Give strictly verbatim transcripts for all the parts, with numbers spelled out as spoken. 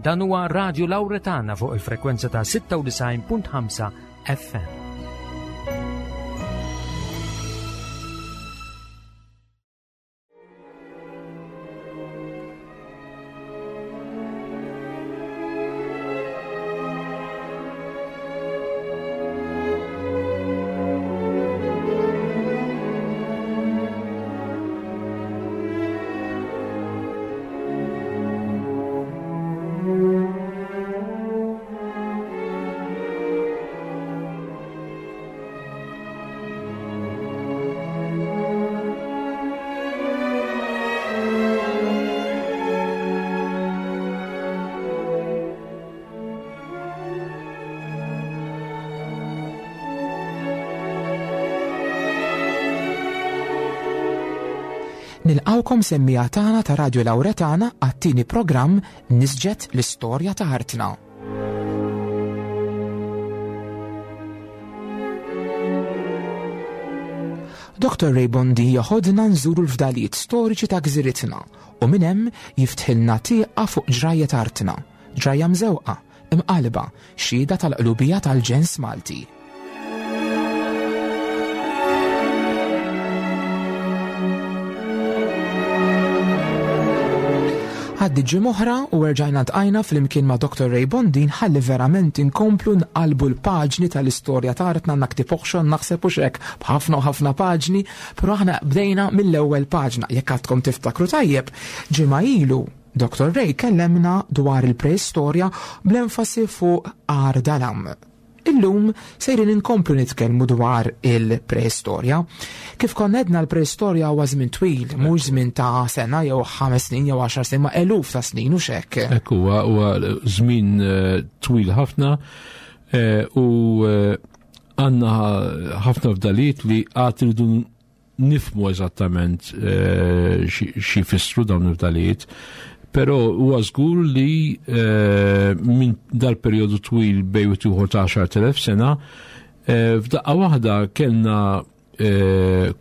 Dan huwa Radio Lauretana fuq il-frekwenza ta' sitta u disgħin punt ħamsa F M. Nilqawkom, semmiegħa tagħna ta' Radio Lauretana, għat-tieni programm Nisġet l-Istorja ta' Artna. Doktor Ray Bondi joħodna nżuru l-fdalijiet storiċi ta' gżiritna u minn hemm jiftħilna tieqa fuq ġrajja artna, ġrajja mżewqa, imqalba, xhieda tal-qlubija tal-ġens Malti. Għaddiet ġimgħa oħra u rġajna ltqajna flimkien ma' Doktor Ray Bondin ħalli verament inkomplu nqalbu l-paġni tal-istorja ta' artna. Naktib oħxon naħseb u xek b'ħafna u ħafna paġni, pero aħna bdejna mill-ewwel paġna. Jekk għadkom tiftakru tajjeb, ġimgħa ilu Doktor Ray kellemna dwar il-preistorja bl-enfasi fuq Għar Dalam. Illum sejrin inkomplu nitkellmu dwar il-preistorja. Kif konna għedna, l-preistorja huwa żmien twil, mhux żmien ta' sena jew ħames snin jew għaxar snin, ma' eluf ta' snin u xek. Ekku, huwa huwa żmien eh, twil ħafna eh, u eh, għandna ħafna fdalijiet li għad irridu nifhmu eżattament xi jfissru dawn il-fdalijiet. Pero huwa żgur li minn dal-perjodu twil bejn wieħed ta' għaxart elef sena, f'daqqa waħda kellna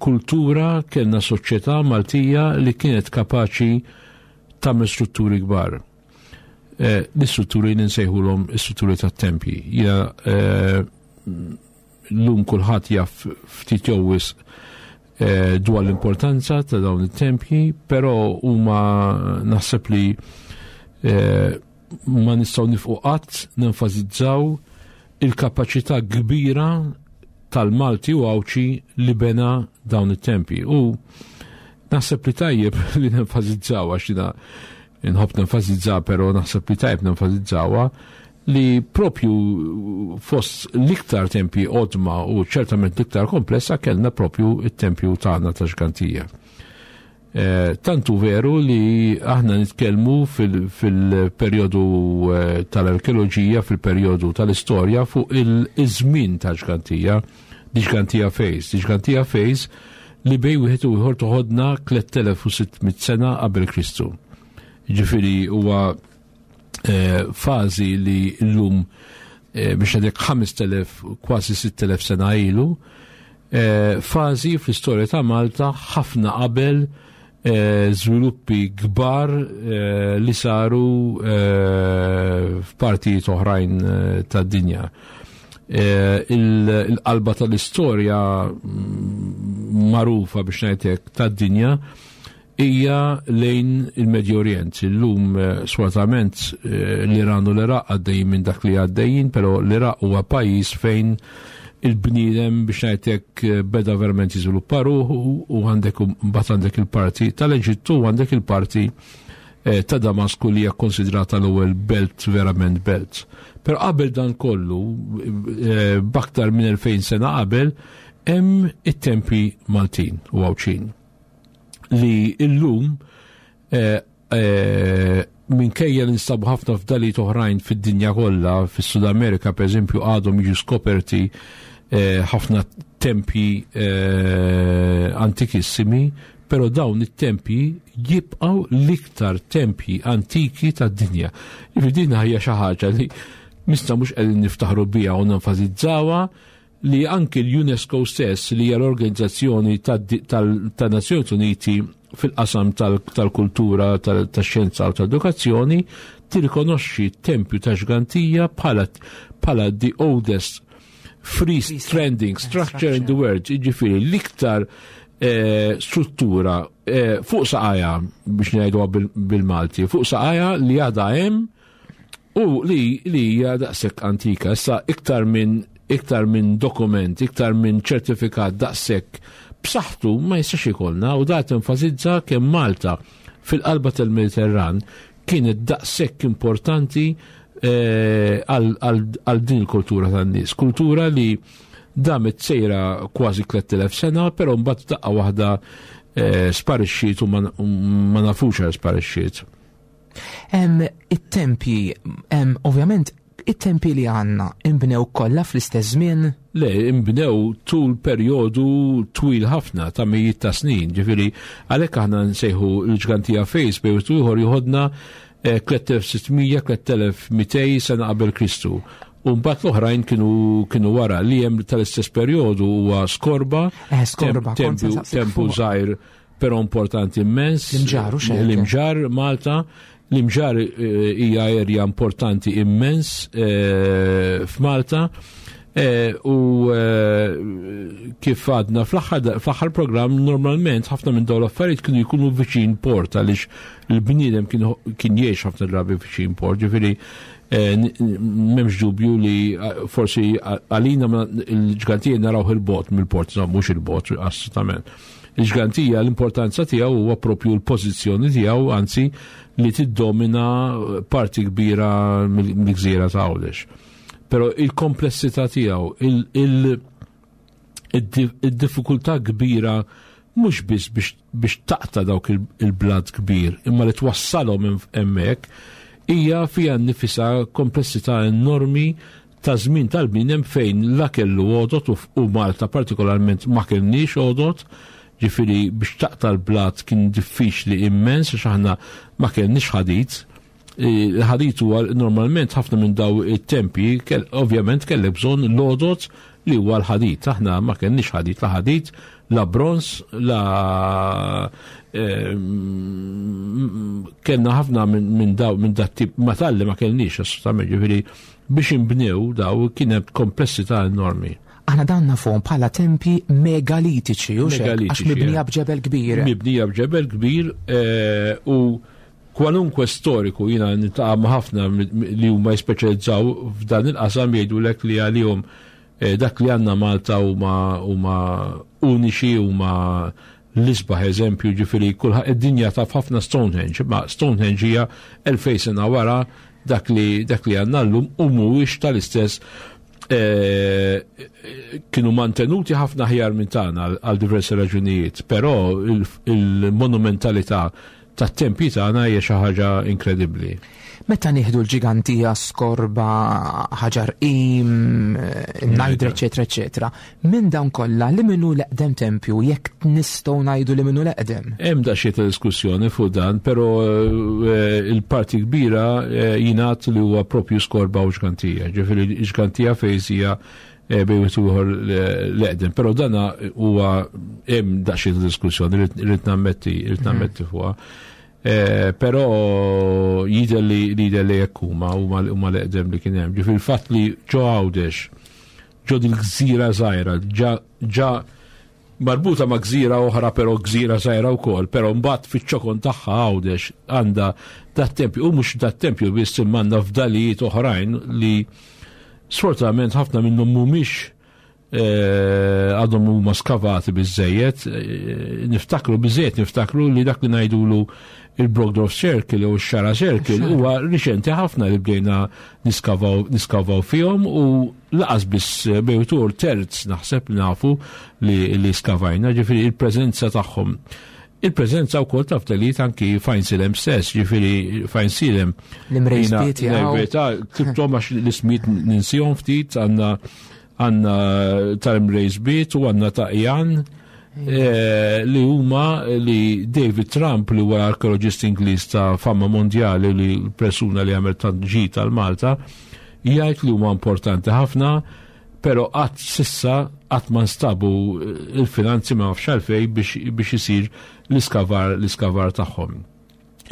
kultura, kellna soċjetà Maltija li kienet kapaċi tagħmel strutturi kbar. L-istrutturi li nsejħulhom istrutturi tat-tempji. Ja, llum kulħadd jaf ftit jew wisq dwar l-importanza ta' dawn it-tempji, però huma naħseb li ma nistgħu nieqfu qatt nenfasizzaw il-kapaċità kbira tal-Malti u Għawdxi li bena dawn it-tempji. U naħseb li tajjeb li nenfasizzaw, għax jiena nħobb nenfasizza, però naħseb li tajjeb nenfasizzawha li propju fost l-iktar tempji qodma u ċertament l-iktar komplessa kellna propju it-tempju tagħna ta' Ġgantija. Eh, tantu veru li aħna nitkellmu fil-perjodu eh, tal-arkeoloġija, fil-perjodu tal-istorja fuq il-żmien ta' Ġgantija, di Ġgantija Phase, di Ġgantija Phase li bejn wieħed u ieħor toħodna tliet elef u sitt mitt sena qabel Kristu. Ġifieri huwa eh, fażi li llum biex għadek ħamest elef, kważi sitt elef sena ilu, fażi fl-istorja ta' Malta ħafna qabel żviluppi kbar li saru f'partijiet oħrajn tad-dinja. Il-qalba tal-istorja mm, magħrufa, biex ngħidlek, tad-dinja hija lejn il-Medju Orient. Illum sfortunatament l-Iran u l-Iraq għaddejjin minn dak li għaddejjin, però l-Iraq huwa pajjiż fejn il-bniedem, biex ngħidlek, beda verament jiżviluppa ruħu u għandek mbagħad għandek il-parti tal-Eġittu u għandek il-parti ta' Damasku li hija konsidrata l-ewwel belt, verament belt. Però qabel dan kollu, b'aktar minn elfejn sena qabel, hemm it-tempi Maltin u Għawdxin li illum eh, eh, minkejja li nstabu ħafna fdalijiet oħrajn fid-dinja kollha, fis-Sud Amerika per eżempju għadhom jiġu skoperti eh, ħafna tempji antikissimi, però dawn it-tempji jibqgħu l-iktar tempji antiki tad-dinja. Jiġifieri din hija xi ħaġa li mista mhux qegħdin niftaħru biha u nenfasizzawha, li anki l-UNESCO stess, li hija l-organizzazzjoni tan-Nazzjonijiet Uniti fil-qasam tal-kultura, tax-xjenza u tal-edukazzjoni, tirrikonoxxi t-tempju ta' Ġgantija bħala the oldest free standing structure in the world, jiġifieri l-iktar eh, struttura eh, fuq saqajha, biex ngħidu bil-Malti, fuq saqajha li għadha hemm u li li hija daqshekk antika. Issa iktar minn iktar minn dokument, iktar minn ċertifikat daqshekk b'saħħtu ma jistax ikollna, u dat enfasizza kemm Malta fil-qalba tal-Mediterran kienet daqshekk importanti eh, għal din il-kultura tan-nies. Kultura li damet sejra kważi tliet elef sena, però mbagħad daqqa waħda eh, sparixxiet u ma nafux għal sparixxiet. It-tempji, ovvjament, it-tempji li għandna imbnew kollha fl-istess żmien? Le, imbnew tul perjodu twil ħafna ta' mijiet ta' snin, ġifieri għalhekk aħna nsejħu l-Ġgantija phase bejn ieħor joħodna tliet elef u sitt mija, tliet elef u mitejn sena qabel Kristu. U mbagħad l-oħrajn kienu kienu wara. Li hemm tal-istess perjodu huwa Skorba, eh, Skorba, tempju żgħir però importanti immens. L-Imġarr u L-Imġarr Malta. L-Imġarr eh, hija area importanti immens eh, f'Malta. Eh, u kif għadna fl-aħħar program, normalment ħafna minn dawn l-affarijiet kienu jkunu viċin port, għaliex il-bniedem kien jgħix ħafna drabi viċin port, ġifieri m'hemmx dubju li forsi għalina il-Ġgantija naraw il-bogħod mill-port, mhux il-bogħod assolutament. Il-Ġgantija, l-importanza tiegħu huwa propju l-pożizzjoni tiegħu, anzi li tiddomina parti kbira mill-gżira ta' Għawdex. Però il-komplessità tiegħu, il-diffikultà kbira mhux biss biex taqta' dawk il-blat kbir, imma li twassalhom hemmhekk hija fija nnifisha komplessità enormi ta' żmien tal-bniedem fejn la kellu għodot, u Malta partikolarment ma kellniex għodot, ġifieri biex taqta' l-blat kien diffiċli immens għax aħna ma kellniex ħadid. Il-ħadid huwa normalment ħafna minn daw it-tempi, ovvjament kellek bżonn l-għodot li huwa l-ħadid. Aħna ma kellniex ħadid, la ħadid, la bronz, la eh, kellna ħafna minn daw minn dat tip metalli ma kellniex assolutament, ġifieri biex imbnew daw kien hemm komplessità enormi. Aħna dan nafuhom bħala tempi megalitiċi, u għax mibnija b'ġebel kbir. Mibnija b'ġebel kbir eh, u kwalunkwe storiku jiena niltaqa' ma' ħafna li huma jispeċjalizzaw f'dan il-qasam jgħidulek li għalihom eh, dak li għandna Malta huma huma uniċi, huma l-isbaħ eżempju, ġifieri kulħadd id-dinja taf ħafna Stonehenge, ma Stonehenge hija elfejn sena wara dak li dak li għandna llum u mhuwiex tal-istess, eh, kienu mantenuti ħafna ħjar minn tagħna għal diversi raġunijiet, però il-monumentalità tat-tempji tagħna hija xi ħaġa inkredibbli. Meta nieħdu l-Ġigantija, Skorba, Ħaġar Qim, Najdra, eċetera, eċetera, minn dawn kollha li minnu l-eqdem tempju, jekk nistgħu ngħidu li minnu l-eqdem? Hemm daqsxejn ta' diskussjoni fuq dan, però eh, il-parti kbira eh, jingħad li huwa propju Skorba u Ġgantija. Ġifieri Ġgantija phase hija eh, bejn wieħed u ieħor l-eqdem, però dana huwa hemm daqsxejn ta' diskussjoni, rrid nammetti, rrid nammetti fuqha. Eh, però jidher li jidher li jekk huma huma huma l-eqdem li kien hemm. Ġifieri il-fatt li ġo Għawdex, ġo dil-gżira żgħira, ġa ġa marbuta ma' gżira oħra, però gżira żgħira wkoll, però mbagħad fiċ-ċokon tagħha Għawdex għandha dat-tempju, u mhux dat-tempju biss, imma għandha fdalijiet oħrajn li sfortunatament ħafna minnhom mhumiex eh, għadhom huma skavati biżejjed, eh, niftakru biżejjed, niftakru li dak li ngħidulu il-Brockdorff Circle u x-Xagħra Circle huwa riċenti ħafna li bdejna niskavaw niskavaw fihom u lanqas biss bejtur terz naħseb li nafu li, li skavajna, ġifieri il-preżenza tagħhom. Il-preżenza wkoll ta' fdalijiet anki f'Għajnsielem stess, ġifieri f'Għajnsielem. L-Imrejsbiet jgħu. Verità, ktibthom għax l-ismijiet ninsihom ftit, għandna għandna tal-Imrejsbiet u għandna ta' Jan eh, li huma li David Trump, li huwa arkeologist Ingliż ta' fama mondjali, li persuna li għamel tant ġid tal-Malta, jgħid li huma importanti ħafna. Pero qatt s'issa qatt ma nstabu il-finanzi, ma nafx għalfejn, biex, biex isir l-iskavar l-iskavar tagħhom.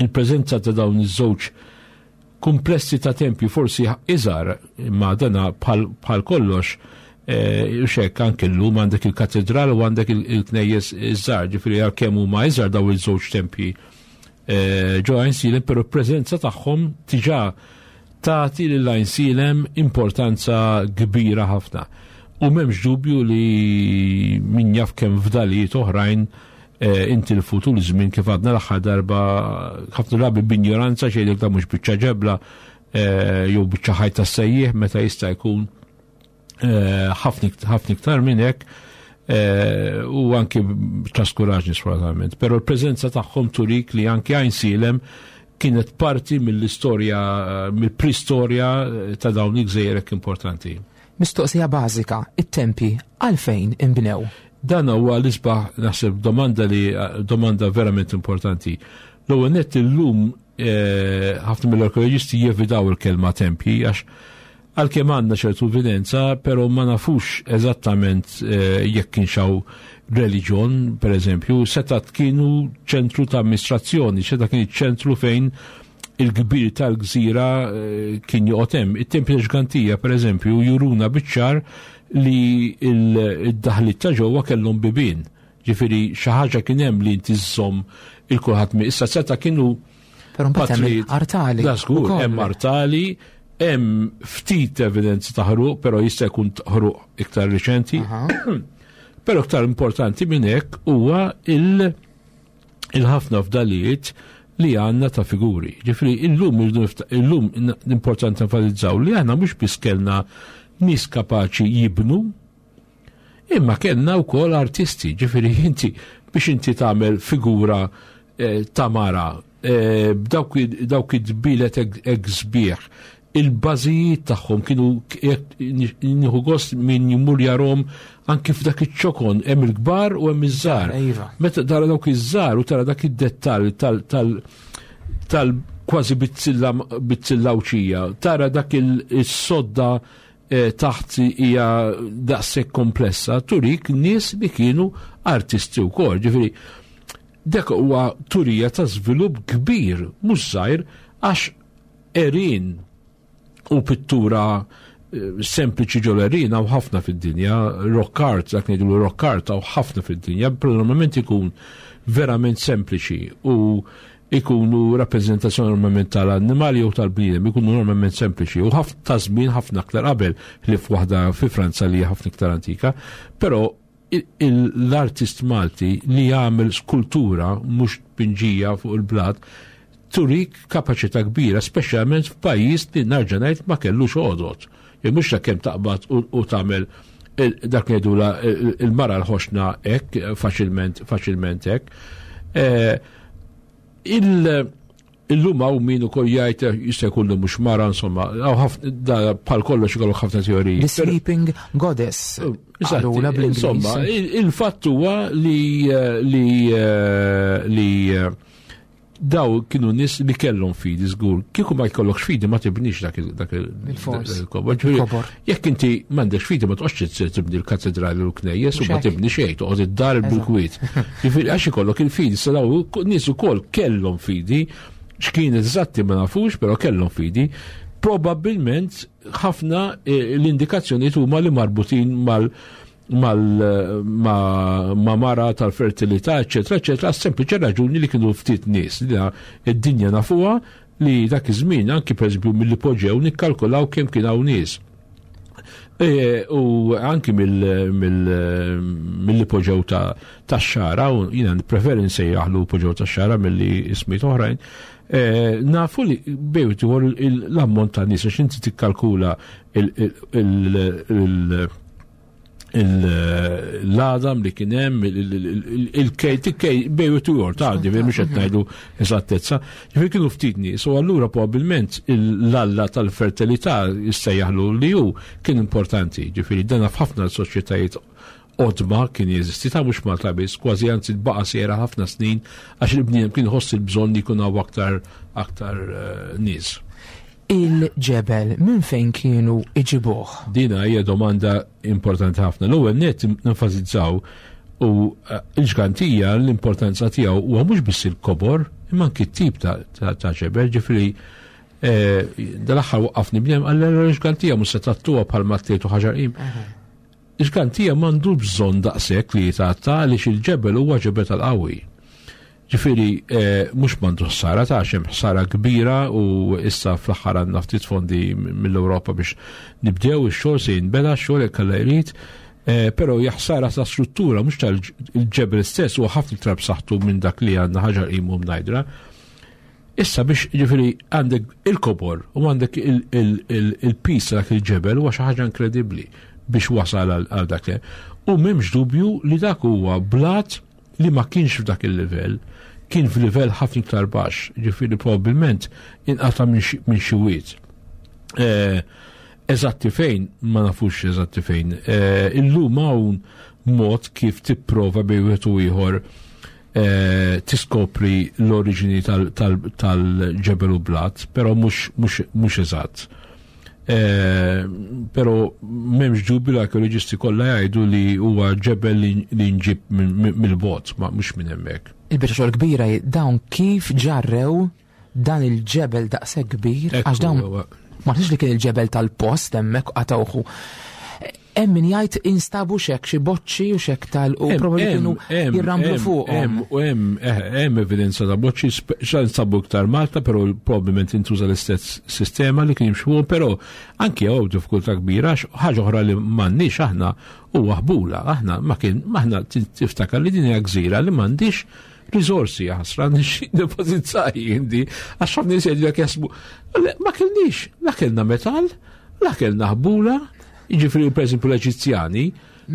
Il-preżenza ta' dawn iż-żewġ komplessi ta' tempji, forsi iżgħar, imma dana bħal kollox, eh, xek anke llum għandek il-katedral u għandek il-knejjes iż-żgħar, ġifieri għalkemm huma iżgħar daw iż-żewġ tempji eh, ġo Għajnsielem, pero preżenza tagħhom diġà tagħti lil Għajnsielem importanza kbira ħafna. U m'hemmx dubju li min jaf kemm fdalijiet oħrajn eh, intilfu tul iż-żmien, kif għadna l-aħħar darba, ħafna drabi b'injoranza xejn, da mhux biċċa ġebla eh, jew biċċa ħajt tas-sejjieħ, meta jista' jkun eh, ħafna iktar minn hekk u anki traskuraġni, sfortunatament. Però l-preżenza tagħhom turik li anki Għajnsielem kienet parti mill-istorja, mill-pristorja ta' dawn il-gżejjer importanti. Mistoqsija bażika, it-tempi għalfejn imbnew? Dan huwa l-isbaħ, naħseb, domanda li domanda verament importanti. L-ewwel nett, illum eh, ħafna mill-arkeoloġisti jevitaw il-kelma tempji għax għalkemm għandna ċertu evidenza, però ma nafux eżattament eh, jekk kienx hawn reliġjon, per eżempju, setat kienu ċentru ta' amministrazzjoni, seta kien ċentru fejn il-kbir tal-gżira eh, kien joqgħod hemm. It-tempji Ġgantija, per eżempju, juruna biċ-ċar li il-daħlit ta' ġewwa kellhom bibien. Ġifieri xi ħaġa kien hemm li inti żżomm il kulħadd mi. Issa seta kienu Però mbagħad hemm artali. Da żgur, hemm artali, hemm ftit evidenzi ta' ħruq, però jista' jkun ħruq iktar riċenti. Però iktar importanti minn hekk huwa il- il-ħafna fdalijiet li għandna ta' figuri. Ġifieri illum illum importanti enfasizzaw li aħna mhux biss kellna nies kapaċi jibnu, imma kellna wkoll artisti. Ġifieri inti biex inti tagħmel figura eh, ta' mara eh, b'dawk dawk id-dbilet hekk sbieħ, il-bażijiet tagħhom kienu, nieħu gost min jmur jarahom anki f'dak iċ-ċokon, hemm il-kbar u hemm iż-żgħar. Iva. Meta tara dawk iż-żgħar u tara dak id-dettall tal tal tal kważi bizzilla bizzilla uċija, tara dak il-sodda eh, taħt hija daqshekk komplessa, turik nies li kienu artisti wkoll. Ġifieri dak huwa turija ta' żvilupp kbir, mhux żgħir, għax għerien u pittura eh, sempliċi ġol-għerien hawn ħafna fid-dinja, rock art, dak ngħidu rock art hawn ħafna fid-dinja, però normalment ikun verament sempliċi u ikunu rappresentazzjoni normalment tal-annimali jew tal-bniedem, ikunu normalment sempliċi u ħafna ta' żmien ħafna aktar qabel li f'waħda fi Franza li hija ħafna iktar antika, però l-artist Malti li jagħmel skultura, mhux pinġija fuq il-blat, turik kapaċità kbira, speċjalment f'pajjiż li, nerġa' ngħid, ma kellux għodot. Jew mhux ta' kemm taqbad u tagħmel dak li il-mara l-ħoxna hekk faċilment faċilment hekk. Eh, Illum hawn min ukoll jgħid jista' jkun li mhux mara, insomma, bħal kollox ikollok ħafna teoriji. The Sleeping Goddess. Insomma, il-fatt huwa li li li daw kienu nies li kellhom fidi żgur. Kieku ma jkollokx fidi, ma tibnix dak il-kobor. Jekk inti m'għandekx fidi, ma toqgħodx tibni l-katedrali u l-knejjes u ma tibni xejn, toqgħod id-dar bil-kwiet. Ġifieri għax ikollok il-fidi, sa daw nies ukoll kellhom fidi, x'kien eżatti ma nafux, però kellhom fidi. Probabbilment ħafna eh, l-indikazzjonijiet huma li marbutin mal mal ma, ma mara tal-fertilità, eccetera, eccetera, sempliċi raġuni li kienu ftit nies. Li id-dinja nafuha li dak iż-żmien anki, pereżempju, mill-ipoġew nikkalkulaw kemm kien hawn nies. E, u anki mill-ipoġew ta' xara, u jiena nippreferi nsejjaħlu ipoġew ta' xara milli ismijiet oħrajn, e, nafu li bejt l-ammont ta' nies, għax inti tikkalkula il- l-għadam li kien hemm, il-kej, tikkej, bejn u jor, ta' ġifieri mhux qed ngħidu eżattezza. Ġifieri kienu ftit nies, u allura probabbilment l-alla tal-fertilità, jissejjaħlu li hu, kien importanti. Ġifieri dana f'ħafna soċjetajiet qodma kien jeżisti, ta' mhux Malta biss, kważi, anzi baqa' sejra ħafna snin għax il-bniedem kien ħoss il-bżonn li jkun hawn aktar aktar eh, nies. Il-ġebel minn fejn kienu iġibuh? Dina hija domanda importanti ħafna. L-ewwel nett nenfasizzaw u eh, il-Ġgantija l-importanza tiegħu huwa mhux biss il-kobor, imma anki t-tip ta' ġebel, ġifieri eh, dal-aħħar waqqafni bniedem għall l-Ġgantija mhux se tgħattuha bħal mattietu Ħaġar Qim. Il-Ġgantija m'għandu bżonn daqshekk li jitgħatta għaliex il-ġebel huwa ġebel tal-qawwi. Ġifieri eh, mhux m'għandu ħsara ta' hemm ħsara kbira u issa fl-aħħar għandna ftit fondi mill-Ewropa biex nibdew ix-xogħol se jinbeda x-xogħol jekk Alla jrid. Eh, però hija ħsara ta' struttura mhux tal-ġebel stess huwa ħafna iktar b'saħħtu minn dak li għandna Ħaġar Qim u Mnajdra. Issa biex ġifieri għandek il-kobor u għandek il-pis dak il-ġebel huwa xi ħaġa inkredibbli biex wasal għal dak. U m'hemmx dubju li dak huwa blat li ma kienx f'dak il-livell, kien f'livell ħafna iktar baxx, ġifieri probabbilment inqata' minn xi wied. Eh, eżatti fejn, ma nafux eżatti fejn. Eh, illum hawn mod kif tipprova bejn wieħed u ieħor eh, tiskopri l-oriġini tal-ġebel u blat, però mhux eżatt. Eh, però m'hemmx dubju l-arkeoloġisti kollha jgħidu li huwa ġebel li nġib mill-bogħod, ma mhux minn hemmhekk. Il-biċċa xogħol kbira dawn kif ġarrew dan il-ġebel daqshekk kbir, għax dawn ma nafx li kien il-ġebel tal-post hemmhekk qatawħu. Hemm min jgħid instabu xek xi boċċi u xek tal u probabbli kienu jirramblu fuqhom. U hemm eh, hemm evidenza ta' boċċi xa nsabu iktar Malta, però probabbilment intuża l-istess sistema li kien jimxu, però anki hawn diffikultà kbira ħaġa oħra li m'għandniex aħna huwa ħbula, aħna ma kien aħna tiftakar li din hija gżira li m'għandix risorsi ħasra depozizzaj indi għax ħafna nies jgħidu jasbu ma kellniex, la kellna metall, la kellna ħbula. Jiġifieri pereżempju l-Eġizzjani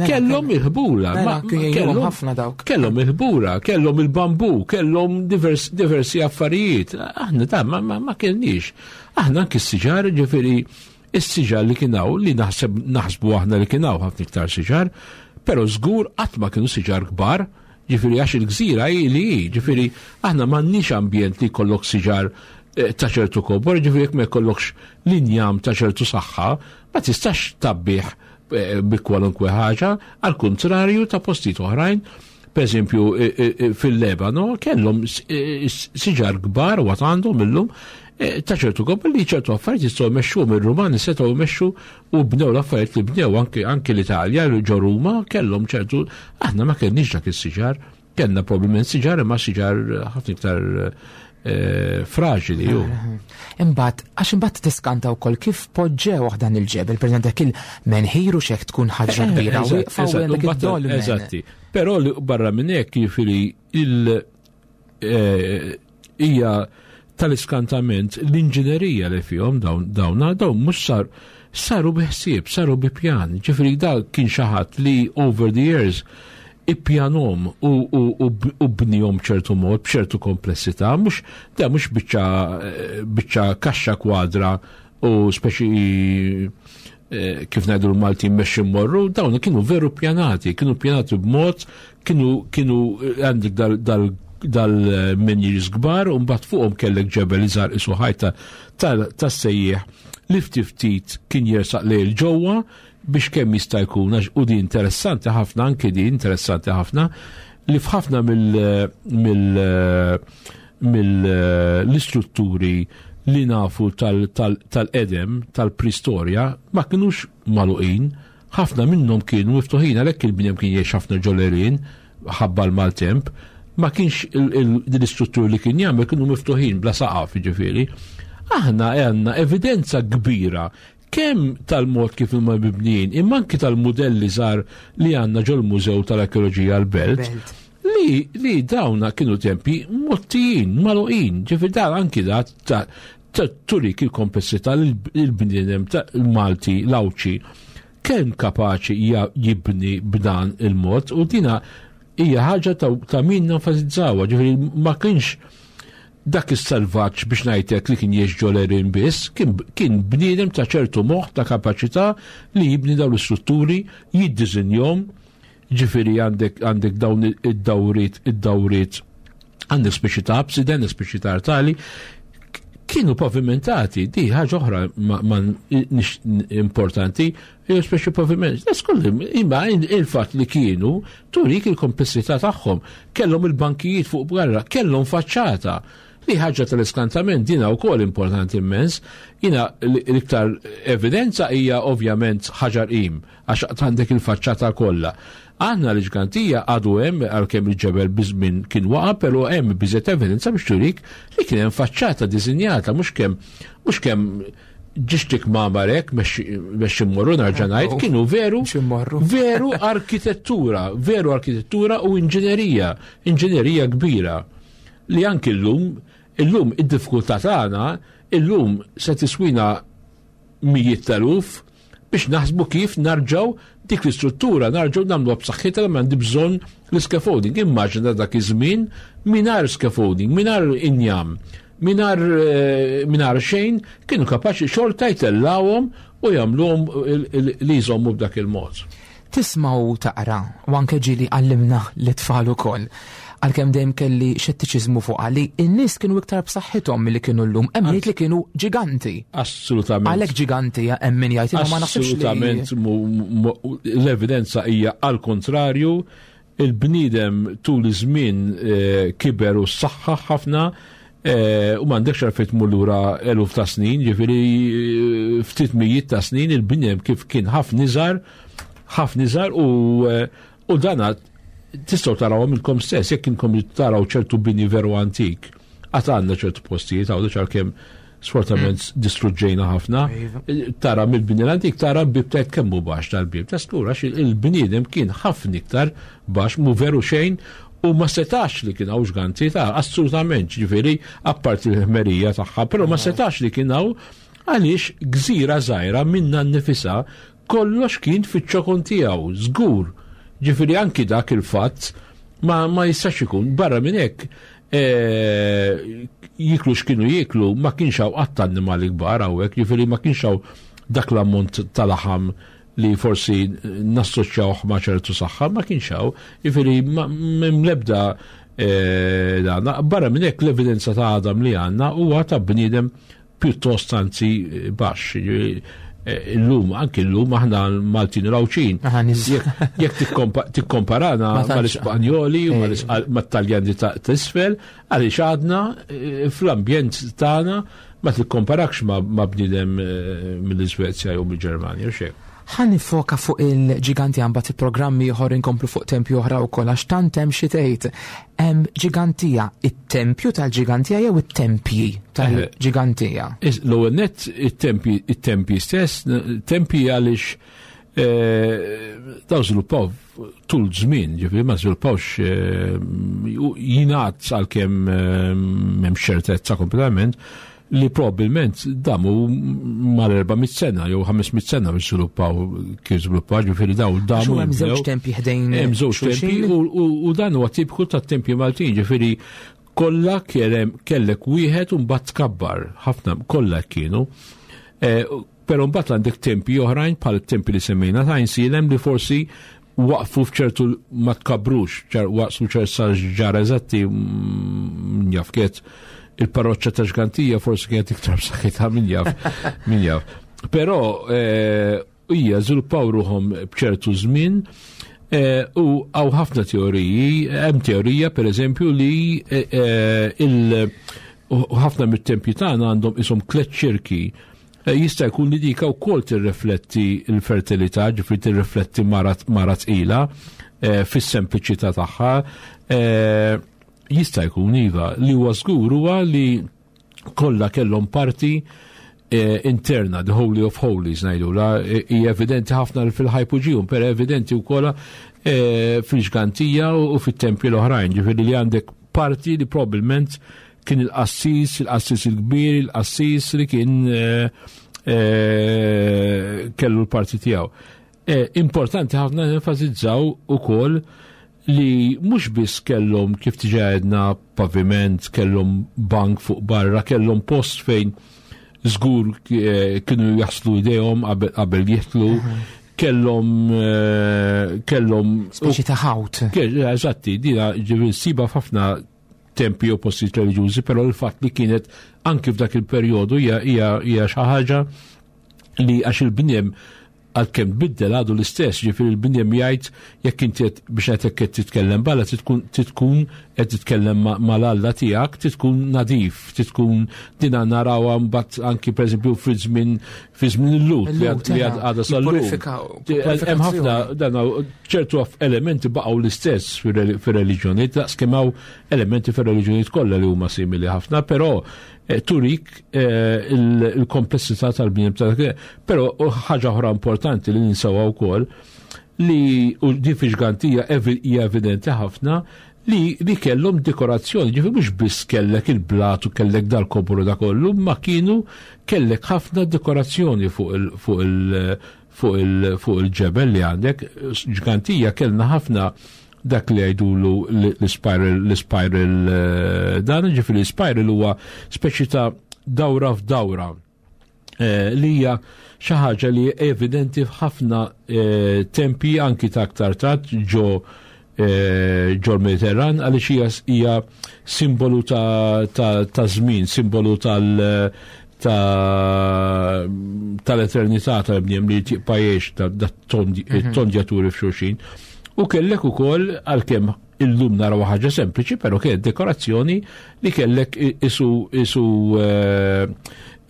kellhom il-ħbula, kellhom ħafna dawk. Kellhom il-ħbula, kellhom il-bambu, kellhom diversi affarijiet. Aħna da ma, ma kellniex. Aħna anki s-siġar, ġifieri s-siġar li kien hawn li naħseb naħsbu aħna li kien hawn ħafna iktar siġar, però żgur qatt ma kienu siġar kbar, ġifieri għax il-gżira hi li hi, ġifieri aħna m'għandniex ambjent li jkollok siġar ta' ċertu kobor, ġifieri jekk ma jkollokx linjam ta' ċertu saħħa, ma tistax tabbih bi kwalunkwe ħaġa, għal kontrarju ta' postijiet oħrajn. Per eżempju, fil-Lebano kellhom siġar kbar u għad għandhom illum ta' ċertu kobor li ċertu affarijiet jistgħu jmexxuhom ir-Rumani setgħu jmexxu u bnew l-affarijiet li bnew anke anke l-Italja ġo Ruma kellhom ċertu, aħna ma kellniex dak is-siġar, kellna probabbilment siġar imma siġar ħafna iktar fraġili ju. Imbagħad, għax imbagħad tiskanta wkoll kif poġġew dan il-ġebel, pereżempju dak il-menħir u xek tkun ħaġa kbira u wieqfa u għandek id-dolmen. Eżatti. Però barra minn hekk jiġifieri il hija tal-iskantament l-inġinerija li fihom dawn dawn dawn mhux sar saru bi ħsieb, saru bi pjan. Ġifieri dak kien xi ħadd li over the years ippjanom u, u, u, u bnihom ċertu mod, b'ċertu komplessità, mhux da mhux biċċa biċċa kaxxa kwadra u speċi eh, kif ngħidu l-Malti mmexxi mmorru, dawn kienu veru pjanati, kienu pjanati b'mod, kienu kienu għandek dal, dal dal-menhirs kbar u mbagħad fuqhom kellek ġebel iżgħar isu ħajta tas-sejjieħ li ftit ftit kien jersaq lejl ġewwa biex kemm jista' jkun, għax u di interessanti ħafna, anke di interessanti ħafna, li f'ħafna mill-istrutturi li nafu tal-edem, tal-pristorja, ma kinux magħluqin, ħafna minnhom kienu miftuħin, għalhekk il-bniedem kien jgħix ħafna ġolerin, ħabba l-maltemp, ma kienx l-istrutturi li kien jagħmel kienu miftuħin bla saqaf, jiġifieri. Aħna għandna evidenza kbira kemm tal-mod kif huma mibnijin, imma anki tal-mudelli żgħar li għandna ġol-Mużew tal-Arkeoloġija l-Belt, li, li dawna kienu tempi mottijin, magħluqin, ġifieri dan anki da ta', ta' turik il-komplessità li l-bniedem il-Malti, l-Għawdxi, kemm kapaċi jibni b'dan il-mod, u dina hija ħaġa ta', ta' min nenfasizzawha, ġifieri ma kienx dak is-salvaġġ biex ngħidlek li kien jgħix ġolerin biss, kien, kien bniedem ta' ċertu moħħ, ta' kapaċità li jibni dawn l-istrutturi, jiddisinjhom, ġifieri għandek, għandek dawn id-dawriet, id-dawriet, għandek speċi ta' abside, għandek speċi ta' artali, Kienu pavimentati, di ħaġa oħra ma importanti, jew speċi paviment. Imma il-fatt li kienu turik il-komplessità tagħhom. Kellhom il-bankijiet fuq barra, kellhom faċċata. Li ħaġa tal-iskantament dina wkoll importanti immens. Jina l-iktar evidenza hija ovvjament Ħaġar Qim, għax għandek il-faċċata kollha. Għandna l-Ġgantija għadu hemm, għalkemm il-ġebel biż-żmien kien waqa', però hemm biżżejjed evidenza biex turik li kien hemm faċċata disinjata, mhux kemm mhux kemm ġixtik mamarek biex immorru, nerġa' ngħid, kienu veru veru arkitettura, veru arkitettura u inġinerija, inġinerija kbira li anki llum, illum id-diffikultà tagħna illum se tiswina mijiet t'eluf biex naħsbu kif narġaw dik l-istruttura, narġaw nagħmlu b'saħħitha li m'għandi bżonn l-scaffolding. Immaġina dak iż-żmien mingħajr scaffolding, mingħajr injam, mingħajr mingħajr xejn, kienu kapaċi xorta jtellawhom u jagħmluhom li jżommu b'dak il-mod. Tisma' u taqra, u anke ġieli għallimna l-tfal ukoll, għalkemm dejjem kelli xettiċiżmu fuq li n-nies kienu iktar b'saħħithom milli kienu llum, hemm li kienu ġiganti. Assolutament. Għalhekk ġiganti hemm min jgħid, imma ma naħsibx. Assolutament l-evidenza hija għal kontrarju, il-bniedem tul iż-żmien kiber u s-saħħa ħafna, u m'għandekx għalfejn tmur lura eluf ta' snin, ġifieri ftit mijiet ta' snin il-bniedem kif kien ħafna iżgħar, ħafna iżgħar u dana tistgħu tarawhom ilkom stess, jekk inkom taraw ċertu bini veru antik. Għad għandna ċertu postijiet, għawdu għalkemm sfortunatament distruġġejna ħafna, tara mill-bini l-antik, tara bib tajt kemm hu baxx tal-bib. Ta' skur, għax il-bniedem kien ħafna iktar baxx, mu veru xejn, u ma setax li kien hawn ġganti ta' assolutament, ġifieri apparti l-ħmerija tagħha, però ma setax li kien hawn għaliex gżira żgħira minna nnifisha kollox kien fiċ-ċokon tiegħu, żgur. Ġifieri anki dak il-fatt ma, ma jistax ikun. Barra minn hekk e, jiklu x'kienu jiklu, ma kienx hawn qatt annimali kbar hawnhekk, ġifieri ma kienx hawn dak l-ammont tal-laħam li forsi nassoċjawh ma' ċertu saħħa, ma kienx hawn, ġifieri m'hemm l-ebda e, dan. Barra minn hekk l-evidenza ta' għadam li għandna huwa ta' bniedem pjuttost anzi baxx. Illum, anki illum aħna Maltin u Għawdxin. Jekk tikkomparana mal-Ispanjoli u mat-Taljani ta' isfel, għaliex għadna fl-ambjent tagħna ma tikkomparakx ma' bniedem mill-Iżvezja jew mill-Ġermanja u xejn. Ħa nifoka fuq il-ġiganti għambat il-programmi ieħor inkomplu fuq tempju oħra wkoll għax tant hemm xi tgħid. Hemm ġigantija, it-tempju tal-ġigantija jew it-tempji tal-ġigantija? L-ewwel nett it-tempji, it-tempji stess, tempji għaliex daw żviluppaw tul żmien, ġifieri ma żviluppawx, jingħad għalkemm m'hemm ċertezza kompletament, li probabbilment damu mal-erba' mitt sena jew ħames mitt sena biex żviluppaw kif żviluppaw, ġifieri daw damu. Hemm żewġ tempji ħdejn. Hemm żewġ tempji u dan huwa tipiku tat-tempji Maltin, ġifieri kollha kellek wieħed u mbagħad tkabbar, ħafna kollha kienu. Però mbagħad għandek tempji oħrajn bħal tempji li semmejna ta' Għajnsielem li forsi waqfu f'ċertu ma tkabrux, waqfu ċertu ġara eżatti jaf kiet il-parroċċa ta' Ġgantija forsi kienet iktar b'saħħitha min jaf, min jaf. Però hija żviluppaw ruħhom b'ċertu żmien u hawn ħafna teoriji, hemm teorija pereżempju li il ħafna mit-tempji tagħna għandhom ishom tliet ċirki. Jista' jkun li dika wkoll tirrifletti l-fertilità, ġifieri tirrifletti mara tqila fis-sempliċità tagħha. Jista' jkun iva, li huwa żgur huwa li kollha kellhom parti interna, the Holy of Holies ngħidula, hija evidenti ħafna fil-Hypogeum, però evidenti wkoll fil-Ġgantija u fit-tempji l-oħrajn, ġifieri li għandek parti li probabbilment kien il-qassis, il-qassis il-kbir, il-qassis li kien kellu l-parti tiegħu. Importanti ħafna nenfasizzaw ukoll li mhux biss kellhom kif diġà għedna paviment, kellhom bank fuq barra, kellhom post fejn żgur kienu jaħslu idejhom qabel jidħlu, kellhom kellhom speċi ta' ħawt. Eżatti, dina ġifieri siba f'ħafna tempi u postijiet reliġjużi, però l-fatt li kienet anki f'dak il-perjodu hija xi ħaġa li għax il-bniem għalkemm biddel għadu l-istess, ġifieri il-bniem jgħid jekk inti biex qed qed titkellem balla titkun titkun qed titkellem mal-Alla tiegħek, titkun nadif, titkun dina narawha mbagħad anki pereżempju fi żmien fi żmien il-Lut li għadha sal-lum. Hemm ħafna dan ċertu elementi baqgħu l-istess fir-reliġjonijiet, daqskemm hawn elementi fir-reliġjonijiet kollha li huma simili ħafna, però turik il-komplessità tal-bniem tal Però ħaġa oħra importanti li ninsewha wkoll li u din fi Ġgantija hija evidenti ħafna li li kellhom dekorazzjoni, ġifieri mhux biss kellek il-blat u kellek dal-kobru da kollu, ma kienu kellek ħafna dekorazzjoni fuq il fuq il fuq il fuq il-ġebel li għandek. Ġgantija kellna ħafna dak li jgħidulu l-spiral, l-spiral dan, ġifieri l-spiral huwa speċi ta' dawra f'dawra li hija xi ħaġa li evidenti f'ħafna tempi anki ta' aktar tard ġo ġo l-Mediterran, għaliex hija simbolu ta' żmien, simbolu tal- tal-eternità tal-bniem li tibqa' jgħix dat-tondjaturi f'xulxin. U kellek ukoll għalkemm illum naraw ħaġa sempliċi, però kienet dekorazzjoni li kellek isu isu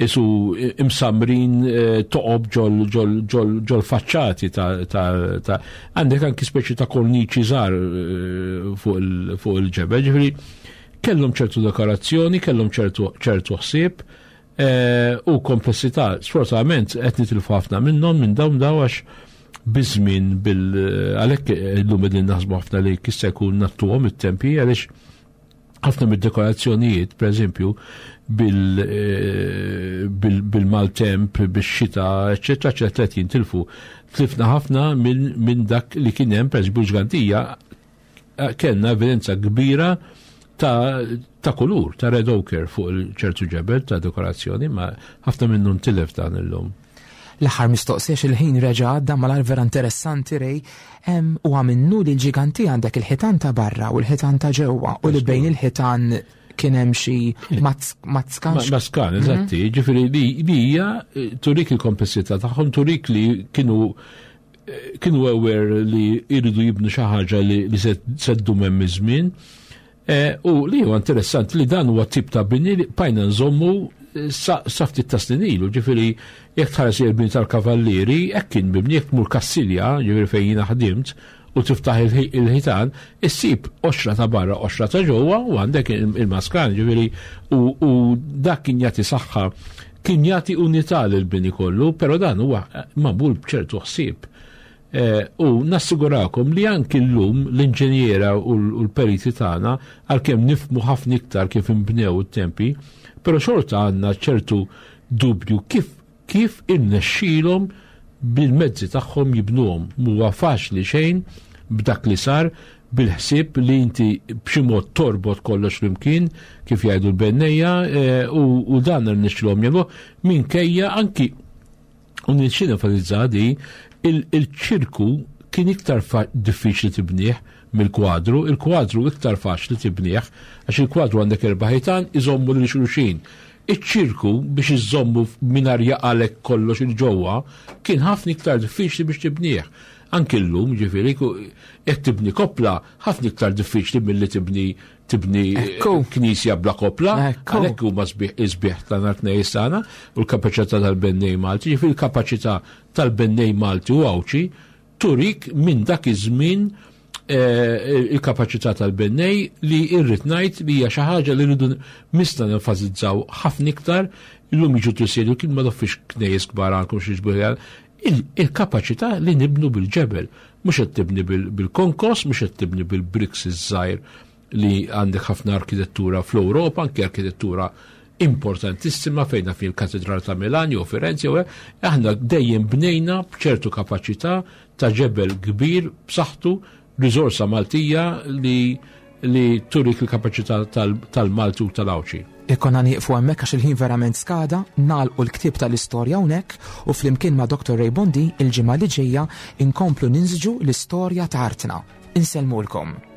isu imsamrin toqob ġol ġol ġol ġol faċċati ta' ta' għandek anki speċi ta' korniċi żgħar fuq il-ġebel, ġifieri kellhom ċertu dekorazzjoni, kellhom ċertu ċertu ħsieb u komplessità. Sfortunatament qed nitilfu ħafna minnhom minn dawn daw għax biżmien bil għalhekk illum qegħdin naħsbu ħafna li kista jkun nattuhom it-tempi, għaliex ħafna mid-dekorazzjonijiet, pereżempju, bil-maltemp, bix-xita, eċċetera, eċċetera, qed jintilfu. Tlifna ħafna minn dak li kien hemm, pereżempju Ġgantija, kellna evidenza kbira ta' ta' kulur, ta' red ochre fuq ċertu ġebel ta' dekorazzjoni, ma ħafna minnu ntilef dan illum. L-aħħar mistoqsija, il-ħin reġa' għadda mal vera interessanti Ray, u għaminnu li l-ġiganti għandek il-ħitan ta' barra u l-ħitan ta' ġewwa u li bejn il-ħitan kien hemm xi mazkan. Maskan, eżatti, ġifieri li hija turik il-komplessità tagħhom, turik li kienu kienu aware li jridu jibnu xi ħaġa li se ddum hemm iż-żmien. U li huwa interessanti li dan huwa tip ta' bini li bajna nżommu sa ftit ta' snin ilu, ġifieri jekk tħares il-bini tal-Kavallieri, hekk kien mibni, jekk tmur Kassilja, ġifieri fejn jiena ħdimt, u tiftaħ il-ħitan, issib oxra ta' barra, oxra ta' ġewwa, u għandek il-maskan, ġifieri u dak kien jagħti saħħa, kien jagħti unità lill-bini kollu, però dan huwa magħmul b'ċertu ħsieb. U nassigurakom li anki llum l-inġiniera u l-periti tagħna, għalkemm nifhmu ħafna iktar kif inbnew it-tempi, però xorta għandna ċertu dubju kif kif irnexxielhom bil-mezzi tagħhom jibnuhom. Huwa faċli xejn b'dak li sar, bil-ħsieb li inti b'xi mod torbot kollox flimkien kif jgħidu l-bennejja, u dan irnexxielhom jagħmluh minkejja anki u nixxi nenfasizza di il-ċirku kien iktar diffiċli tibnieh mill-kwadru, il-kwadru iktar faċli tibnieh għax il-kwadru għandek erba' ħitan iżommu lil xulxin. Iċ-ċirku biex iżommu mingħajr jaqalek kollox il-ġewwa kien ħafna iktar diffiċli biex tibnieh. Anki llum, ġifieri, jekk tibni kopla ħafna iktar diffiċli milli tibni tibni knisja bla kopla, għalhekk huma sbieħ ta' nhar tnejn tagħna u l-kapaċità tal-bennej Malti, ġifieri l-kapaċità tal-bennej Malti u Għawdxi turik minn dak iż-żmien il-kapaċità tal-bennej li irrid ngħid li hija xi ħaġa li rridu mista nenfasizzaw ħafna iktar. Illum jiġu tisielu kien ma doffix knejjes kbar għandkom xi ġbir, il-kapaċità li nibnu bil-ġebel, mhux qed tibni bil-konkos, mhux qed tibni bil-bricks iż-żgħir li għandek ħafna arkitettura fl-Ewropa, anke arkitettura importantissima fejn fil-Katedral ta' Milan jew Firenze, aħna dejjem bnejna b'ċertu kapaċità ta' ġebel kbir b'saħħtu, riżorsa Maltija li li turik il-kapaċità tal-Malti u tal-Għawdxi. Ikonna nieqfu hemmhekk għax il-ħin verament skada, nagħlqu l-ktieb tal-istorja hawnhekk u flimkien ma' Doktor Ray Bondin il-ġimgħa li ġejja inkomplu ninżġu l-istorja ta' artna. Insellmulkom.